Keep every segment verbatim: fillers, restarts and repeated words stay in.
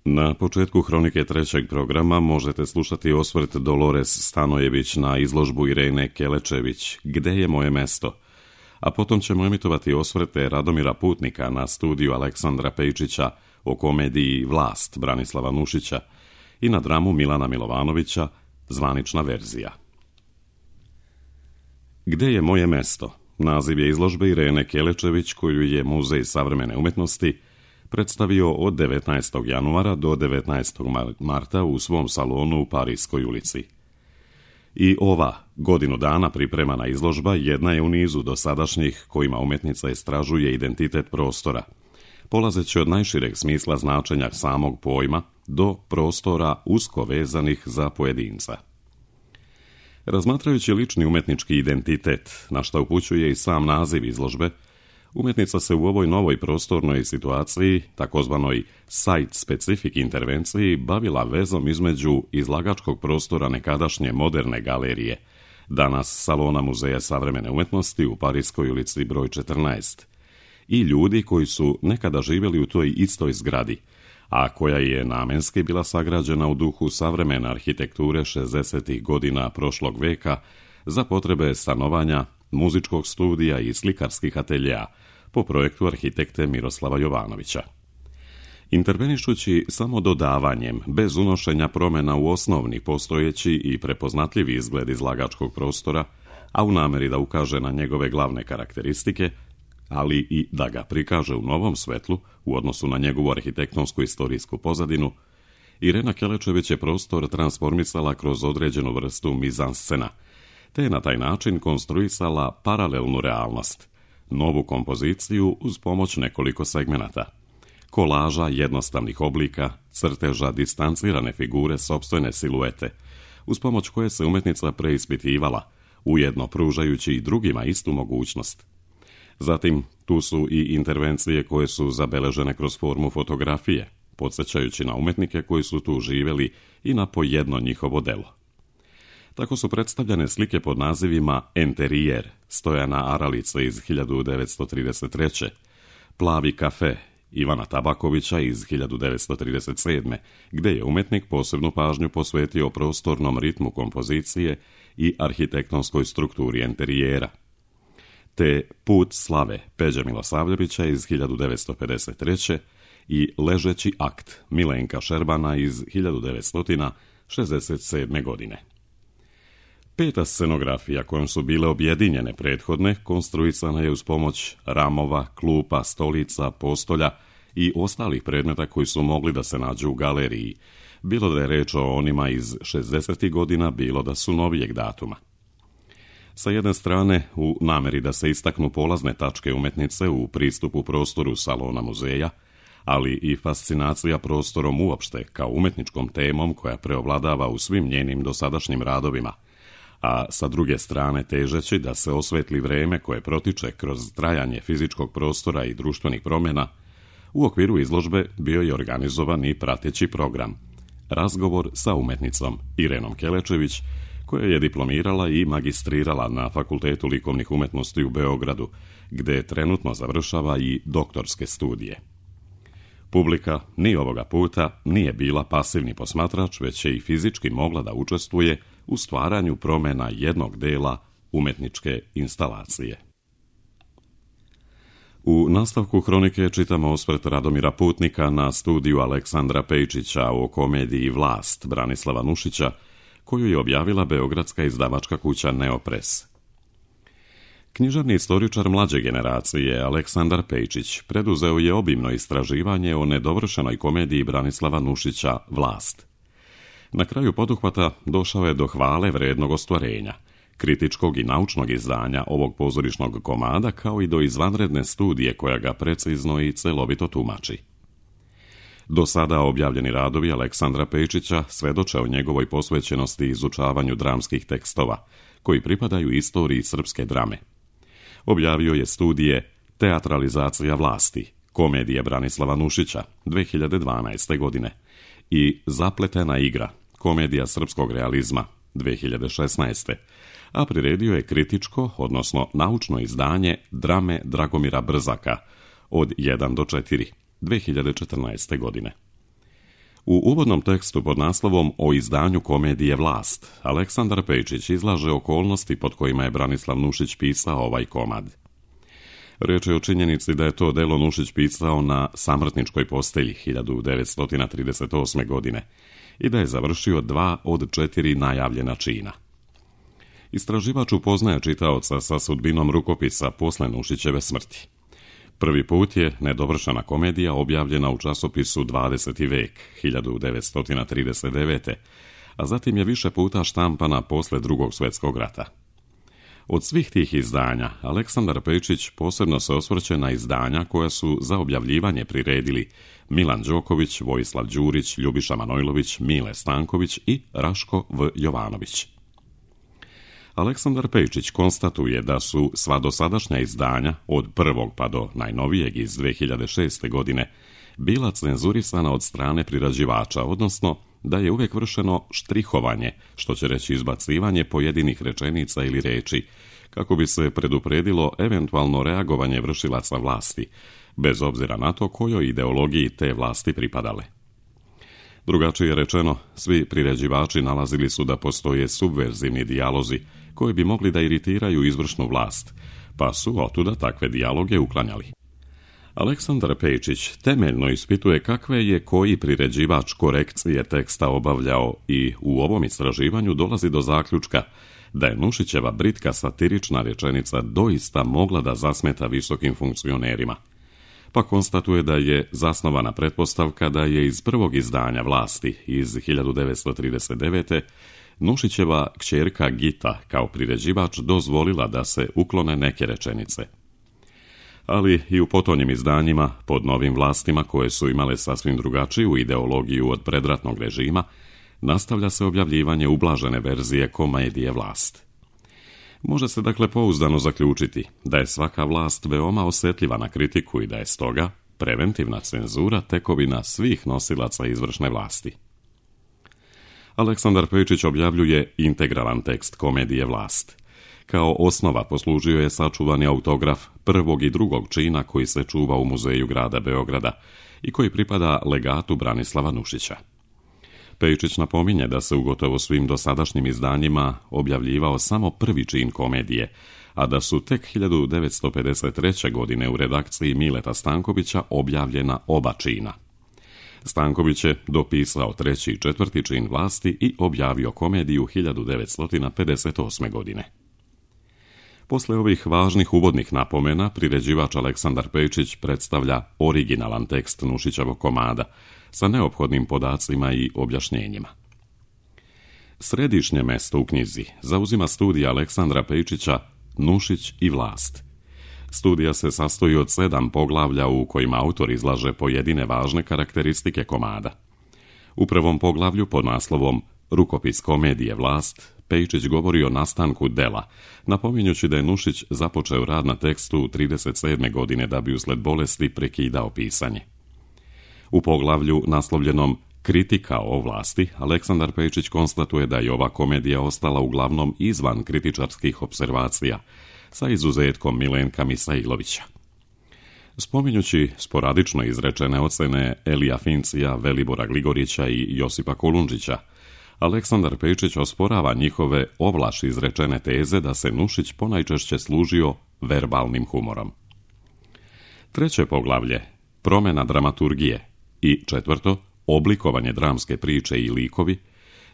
Na početku hronike trećeg programa možete slušati osvrt Dolores Stanojević na izložbu Irene Kelečević Gde je moje mesto? A potom ćemo emitovati osvrte Radomira Putnika na studiju Aleksandra Pejčića o komediji Vlast Branislava Nušića i na dramu Milana Milovanovića Zvanična verzija. Gde je moje mesto? Naziv je izložbe Irene Kelečević koju je Muzej savremene umetnosti predstavio od devetnaestog januara do devetnaestog marta u svom salonu u Parijskoj ulici. I ova godinu dana pripremana izložba jedna je u nizu dosadašnjih kojima umetnica istražuje identitet prostora, polazeći od najšireg smisla značenja samog pojma do prostora usko vezanih za pojedinca. Razmatrajući lični umetnički identitet, na što upućuje i sam naziv izložbe, umetnica se u ovoj novoj prostornoj situaciji, takozvanoj site-specific intervenciji, bavila vezom između izlagačkog prostora nekadašnje moderne galerije, danas Salona Muzeja savremene umetnosti u Parijskoj ulici broj četrnaest, i ljudi koji su nekada živjeli u toj istoj zgradi, a koja je namenski bila sagrađena u duhu savremene arhitekture šezdesetih godina prošlog veka za potrebe stanovanja, muzičkog studija i slikarskih ateljea po projektu arhitekte Miroslava Jovanovića. Intervenišući samo dodavanjem, bez unošenja promjena u osnovni postojeći i prepoznatljivi izgled izlagačkog prostora, a u nameri da ukaže na njegove glavne karakteristike, ali i da ga prikaže u novom svetlu u odnosu na njegovu arhitektonsku istorijsku pozadinu, Irena Kelečević je prostor transformisala kroz određenu vrstu mizanscena, te je na taj način konstruisala paralelnu realnost, novu kompoziciju uz pomoć nekoliko segmenata, kolaža jednostavnih oblika, crteža distancirane figure sopstvene siluete, uz pomoć koje se umetnica preispitivala, ujedno pružajući i drugima istu mogućnost. Zatim, tu su i intervencije koje su zabeležene kroz formu fotografije, podsjećajući na umetnike koji su tu živjeli i na po jedno njihovo delo. Tako su predstavljene slike pod nazivima Enterijer Stojana Aralica iz hiljadu devetsto trideset treće, Plavi kafe Ivana Tabakovića iz hiljadu devetsto trideset sedme, gde je umetnik posebnu pažnju posvetio prostornom ritmu kompozicije i arhitektonskoj strukturi enterijera, te Put slave Peđe Milosavljevića iz hiljadu devetsto pedeset treće i Ležeći akt Milenka Šerbana iz hiljadu devetsto šezdeset sedme. godine. Peta scenografija kojom su bile objedinjene prethodne konstruisana je uz pomoć ramova, klupa, stolica, postolja i ostalih predmeta koji su mogli da se nađu u galeriji, bilo da je reč o onima iz šezdesetih godina, bilo da su novijeg datuma. Sa jedne strane, u nameri da se istaknu polazne tačke umetnice u pristupu prostoru Salona muzeja, ali i fascinacija prostorom uopšte kao umetničkom temom koja preovladava u svim njenim dosadašnjim radovima, a sa druge strane težeći da se osvetli vreme koje protiče kroz trajanje fizičkog prostora i društvenih promjena, u okviru izložbe bio je organizovan i prateći program Razgovor sa umetnicom Irenom Kelečević, koja je diplomirala i magistrirala na Fakultetu likovnih umetnosti u Beogradu, gde trenutno završava i doktorske studije. Publika ni ovoga puta nije bila pasivni posmatrač, već je i fizički mogla da učestvuje u stvaranju promjena jednog dela umetničke instalacije. U nastavku hronike čitamo osvrt Radomira Putnika na studiju Aleksandra Pejčića o komediji Vlast Branislava Nušića, koju je objavila beogradska izdavačka kuća Neopres. Književni istoričar mlađe generacije Aleksandar Pejčić preduzeo je obimno istraživanje o nedovršenoj komediji Branislava Nušića Vlast. Na kraju poduhvata došao je do hvale vrednog ostvarenja, kritičkog i naučnog izdanja ovog pozorišnog komada, kao i do izvanredne studije koja ga precizno i celovito tumači. Do sada objavljeni radovi Aleksandra Pejčića svedoče o njegovoj posvećenosti izučavanju dramskih tekstova, koji pripadaju istoriji srpske drame. Objavio je studije Teatralizacija vlasti, komedije Branislava Nušića, dve hiljade dvanaeste. godine, i Zapletena igra, komedija srpskog realizma, dve hiljade šesnaeste. a priredio je kritičko, odnosno naučno izdanje drame Dragomira Brzaka od jedan do četiri, dve hiljade četrnaeste. godine. U uvodnom tekstu pod naslovom O izdanju komedije Vlast, Aleksandar Pejčić izlaže okolnosti pod kojima je Branislav Nušić pisao ovaj komad. Riječ je o činjenici da je to delo Nušić pisao na samrtničkoj postelji hiljadu devetsto trideset osme. godine i da je završio dva od četiri najavljena čina. Istraživač upoznaje čitaoca sa sudbinom rukopisa posle Nušićeve smrti. Prvi put je nedovršena komedija objavljena u časopisu dvadeseti vek hiljadu devetsto trideset devete. a zatim je više puta štampana posle Drugog svjetskog rata. Od svih tih izdanja, Aleksandar Pejčić posebno se osvrće na izdanja koja su za objavljivanje priredili Milan Đoković, Vojislav Đurić, Ljubiša Manojlović, Mile Stanković i Raško V. Jovanović. Aleksandar Pejčić konstatuje da su sva dosadašnja izdanja, od prvog pa do najnovijeg iz dve hiljade šeste. godine, bila cenzurisana od strane prirađivača, odnosno da je uvijek vršeno štrihovanje, što će reći izbacivanje pojedinih rečenica ili reči, kako bi se predupredilo eventualno reagovanje vršilaca vlasti, bez obzira na to kojoj ideologiji te vlasti pripadale. Drugačije rečeno, svi priređivači nalazili su da postoje subverzivni dijalozi koji bi mogli da iritiraju izvršnu vlast, pa su otuda takve dijaloge uklanjali. Aleksandar Pejčić temeljno ispituje kakve je koji priređivač korekcije teksta obavljao i u ovom istraživanju dolazi do zaključka da je Nušićeva britka satirična rečenica doista mogla da zasmeta visokim funkcionerima, pa konstatuje da je zasnovana pretpostavka da je iz prvog izdanja Vlasti iz hiljadu devetsto trideset devete. Nušićeva kćerka Gita kao priređivač dozvolila da se uklone neke rečenice. Ali i u potonjim izdanjima, pod novim vlastima koje su imale sasvim drugačiju ideologiju od predratnog režima, nastavlja se objavljivanje ublažene verzije komedije Vlast. Može se dakle pouzdano zaključiti da je svaka vlast veoma osjetljiva na kritiku i da je stoga preventivna cenzura tekovina svih nosilaca izvršne vlasti. Aleksandar Pejčić objavljuje integralan tekst komedije Vlast. Kao osnova poslužio je sačuvani autograf prvog i drugog čina koji se čuva u muzeju grada Beograda i koji pripada legatu Branislava Nušića. Pejčić napominje da se u gotovo svim dosadašnjim izdanjima objavljivao samo prvi čin komedije, a da su tek hiljadu devetsto pedeset treće. godine u redakciji Mileta Stankovića objavljena oba čina. Stanković je dopisao treći i četvrti čin Vlasti i objavio komediju hiljadu devetsto pedeset osme. godine. Posle ovih važnih uvodnih napomena, priređivač Aleksandar Pejčić predstavlja originalan tekst Nušićevog komada sa neophodnim podacima i objašnjenjima. Središnje mesto u knjizi zauzima studija Aleksandra Pejčića Nušić i vlast. Studija se sastoji od sedam poglavlja u kojima autor izlaže pojedine važne karakteristike komada. U prvom poglavlju pod naslovom Rukopis komedije Vlast, Pejčić govori o nastanku dela, napominjući da je Nušić započeo rad na tekstu trideset sedme. godine da bi usled bolesti prekidao pisanje. U poglavlju naslovljenom Kritika o vlasti, Aleksandar Pejčić konstatuje da je ova komedija ostala uglavnom izvan kritičarskih observacija, sa izuzetkom Milenka Misailovića. Spominjući sporadično izrečene ocene Elija Fincija, Velibora Gligorića i Josipa Kolundžića, Aleksandar Pejčić osporava njihove ovlaš izrečene teze da se Nušić ponajčešće služio verbalnim humorom. Treće poglavlje, promjena dramaturgije, i četvrto, oblikovanje dramske priče i likovi,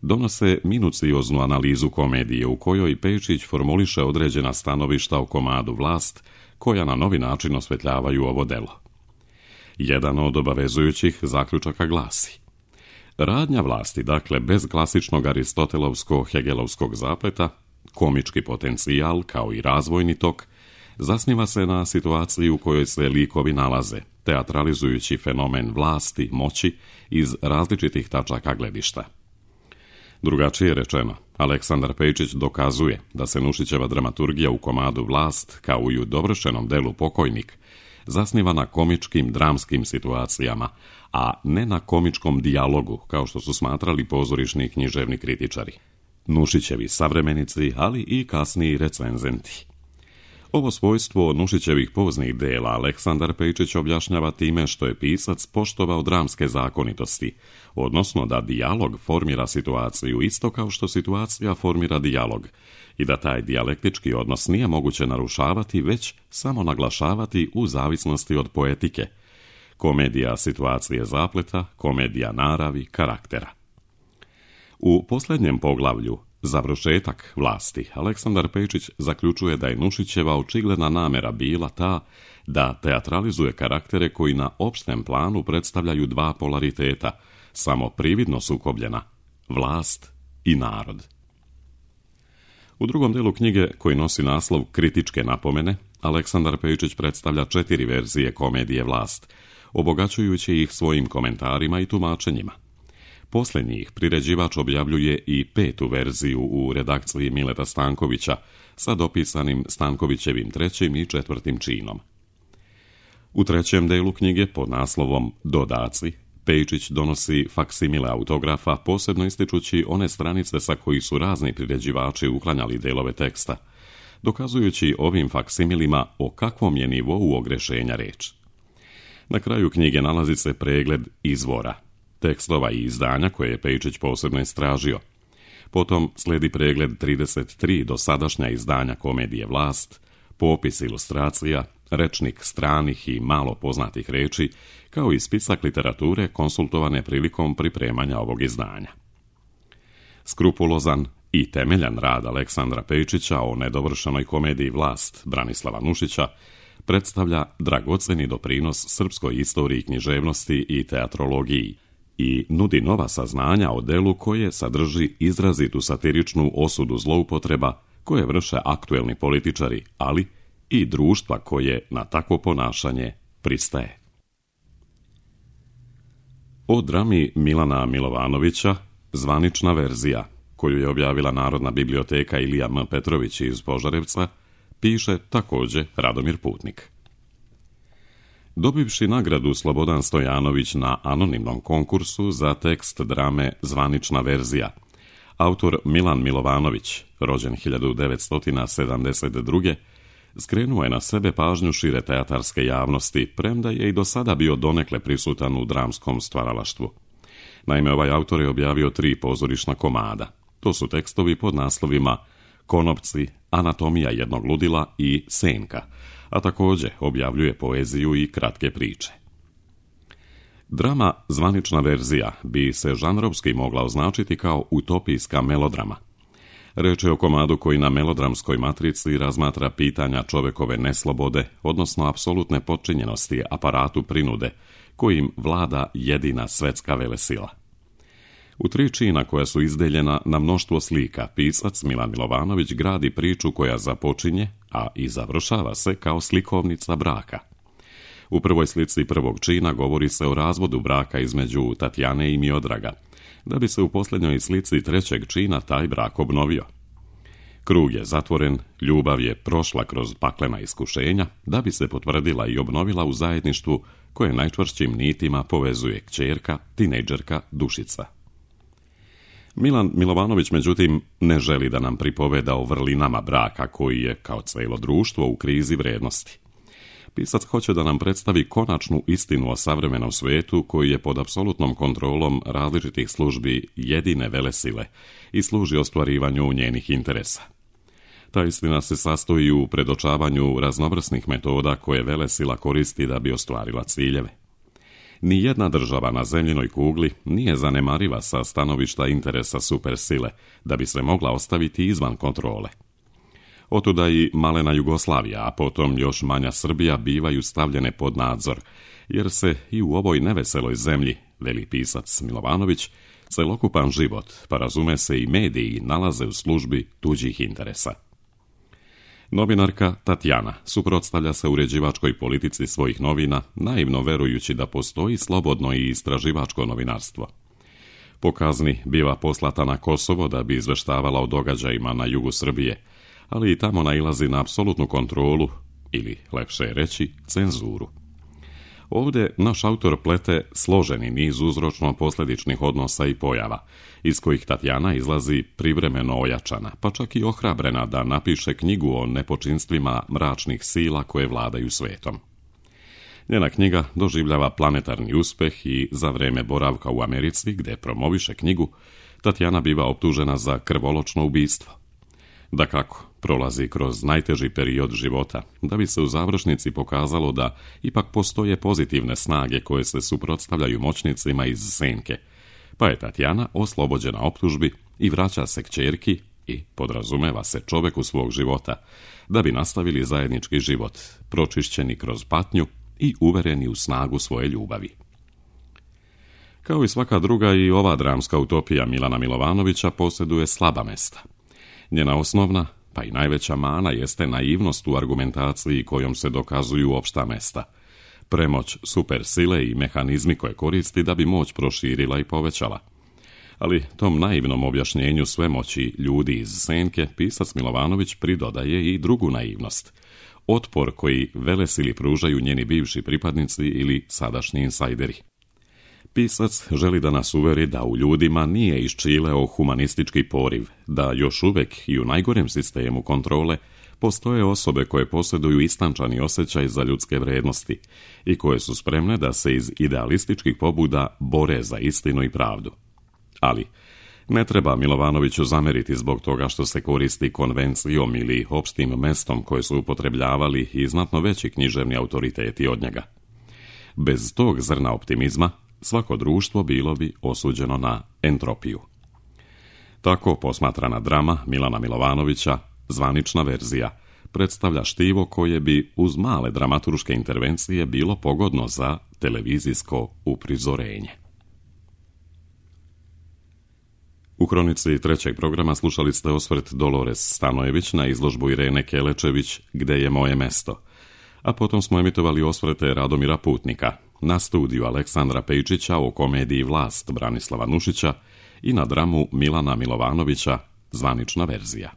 donose minucioznu analizu komedije u kojoj Pejčić formuliše određena stanovišta o komadu Vlast, koja na novi način osvetljavaju ovo delo. Jedan od obavezujućih zaključaka glasi: radnja vlasti, dakle bez klasičnog aristotelovsko-hegelovskog zapleta, komički potencijal kao i razvojni tok, zasniva se na situaciji u kojoj se likovi nalaze, teatralizujući fenomen vlasti, moći iz različitih tačaka gledišta. Drugačije rečeno, Aleksandar Pejčić dokazuje da se Nušićeva dramaturgija u komadu Vlast, kao i u dovršenom delu Pokojnik, zasniva na komičkim dramskim situacijama, a ne na komičkom dijalogu, kao što su smatrali pozorišni i književni kritičari, Nušićevi savremenici, ali i kasniji recenzenti. Ovo svojstvo Nušićevih poznih dela Aleksandar Pejčić objašnjava time što je pisac poštovao dramske zakonitosti, odnosno da dijalog formira situaciju isto kao što situacija formira dijalog i da taj dijalektički odnos nije moguće narušavati, već samo naglašavati u zavisnosti od poetike. Komedija situacije zapleta, komedija naravi, karaktera. U posljednjem poglavlju Završetak vlasti, Aleksandar Pejčić zaključuje da je Nušićeva očigledna namjera bila ta da teatralizuje karaktere koji na opštem planu predstavljaju dva polariteta, samo prividno sukobljena, vlast i narod. U drugom delu knjige, koji nosi naslov Kritičke napomene, Aleksandar Pejčić predstavlja četiri verzije komedije Vlast, obogaćujući ih svojim komentarima i tumačenjima. Poslije njih priređivač objavljuje i petu verziju u redakciji Mileta Stankovića sa dopisanim Stankovićevim trećim i četvrtim činom. U trećem delu knjige pod naslovom Dodaci, Pejčić donosi faksimile autografa, posebno ističući one stranice sa koji su razni priređivači uklanjali delove teksta, dokazujući ovim faksimilima o kakvom je nivou ogrešenja reč. Na kraju knjige nalazi se pregled izvora, tekstova i izdanja koje je Pejčić posebno istražio. Potom slijedi pregled trideset tri dosadašnja izdanja komedije Vlast, popis ilustracija, rečnik stranih i malo poznatih reči, kao i spisak literature konsultovane prilikom pripremanja ovog izdanja. Skrupulozan i temeljan rad Aleksandra Pejčića o nedovršenoj komediji Vlast Branislava Nušića predstavlja dragoceni doprinos srpskoj istoriji književnosti i teatrologiji i nudi nova saznanja o delu koje sadrži izrazitu satiričnu osudu zloupotreba koje vrše aktuelni političari, ali i društva koje na takvo ponašanje pristaje. O drami Milana Milovanovića, zvanična verzija, koju je objavila Narodna biblioteka Ilija M. Petrović iz Požarevca, piše također Radomir Putnik. Dobivši nagradu Slobodan Stojanović na anonimnom konkursu za tekst drame Zvanična verzija, autor Milan Milovanović, rođen hiljadu devetsto sedamdeset druge skrenuo je na sebe pažnju šire teatarske javnosti, premda je i do sada bio donekle prisutan u dramskom stvaralaštvu. Naime, ovaj autor je objavio tri pozorišna komada. To su tekstovi pod naslovima Konopci, Anatomija jednog ludila i Senka, a također objavljuje poeziju i kratke priče. Drama Zvanična verzija bi se žanrovski mogla označiti kao utopijska melodrama. Reč je o komadu koji na melodramskoj matrici razmatra pitanja čovekove neslobode, odnosno apsolutne potčinjenosti aparatu prinude, kojim vlada jedina svetska velesila. U tri čina koja su izdeljena na mnoštvo slika, pisac Milan Milovanović gradi priču koja započinje, a i završava se kao slikovnica braka. U prvoj slici prvog čina govori se o razvodu braka između Tatjane i Miodraga, da bi se u posljednjoj slici trećeg čina taj brak obnovio. Krug je zatvoren, ljubav je prošla kroz paklena iskušenja, da bi se potvrdila i obnovila u zajedništvu koje najčvršćim nitima povezuje kćerka, tinejdžerka Dušica. Milan Milovanović, međutim, ne želi da nam pripoveda o vrlinama braka koji je, kao cijelo društvo, u krizi vrednosti. Pisac hoće da nam predstavi konačnu istinu o savremenom svijetu koji je pod apsolutnom kontrolom različitih službi jedine velesile i služi ostvarivanju njenih interesa. Ta istina se sastoji u predočavanju raznovrsnih metoda koje velesila koristi da bi ostvarila ciljeve. Nijedna država na zemljinoj kugli nije zanemariva sa stanovišta interesa supersile da bi se mogla ostaviti izvan kontrole. Otuda i malena Jugoslavija, a potom još manja Srbija bivaju stavljene pod nadzor, jer se i u ovoj neveseloj zemlji, veli pisac Milovanović, celokupan život, pa razume se i mediji, nalaze u službi tuđih interesa. Novinarka Tatjana suprotstavlja se uređivačkoj politici svojih novina, naivno verujući da postoji slobodno i istraživačko novinarstvo. Po kazni biva poslata na Kosovo da bi izveštavala o događajima na jugu Srbije, ali i tamo nailazi na apsolutnu kontrolu, ili, lepše je reći, cenzuru. Ovdje naš autor plete složeni niz uzročno-posljedičnih odnosa i pojava, iz kojih Tatjana izlazi privremeno ojačana, pa čak i ohrabrena da napiše knjigu o nepočinstvima mračnih sila koje vladaju svetom. Njena knjiga doživljava planetarni uspeh i za vrijeme boravka u Americi, gdje promoviše knjigu, Tatjana biva optužena za krvoločno ubistvo. Dakako, prolazi kroz najteži period života, da bi se u završnici pokazalo da ipak postoje pozitivne snage koje se suprotstavljaju moćnicima iz senke, pa je Tatjana oslobođena optužbi i vraća se kćerki i podrazumeva se čoveku svog života, da bi nastavili zajednički život, pročišćeni kroz patnju i uvereni u snagu svoje ljubavi. Kao i svaka druga, i ova dramska utopija Milana Milovanovića posjeduje slaba mesta. Njena osnovna, pa i najveća mana jeste naivnost u argumentaciji kojom se dokazuju opšta mesta, premoć supersile i mehanizmi koje koristi da bi moć proširila i povećala. Ali tom naivnom objašnjenju svemoći ljudi iz senke pisac Milovanović pridodaje i drugu naivnost, otpor koji velesili pružaju njeni bivši pripadnici ili sadašnji insajderi. Pisac želi da nas uveri da u ljudima nije iščileo humanistički poriv, da još uvek i u najgorem sistemu kontrole postoje osobe koje posjeduju istančani osjećaj za ljudske vrednosti i koje su spremne da se iz idealističkih pobuda bore za istinu i pravdu. Ali ne treba Milovanoviću zameriti zbog toga što se koristi konvencijom ili opštim mestom koje su upotrebljavali i znatno veći književni autoriteti od njega. Bez tog zrna optimizma svako društvo bilo bi osuđeno na entropiju. Tako posmatrana drama Milana Milovanovića, zvanična verzija, predstavlja štivo koje bi uz male dramaturške intervencije bilo pogodno za televizijsko uprizorenje. U kronici trećeg programa slušali ste osvrt Dolores Stanojević na izložbu Irene Kelečević Gde je moje mesto, a potom smo emitovali osvrte Radomira Putnika na studiju Aleksandra Pejčića o komediji Vlast Branislava Nušića i na dramu Milana Milovanovića, zvanična verzija.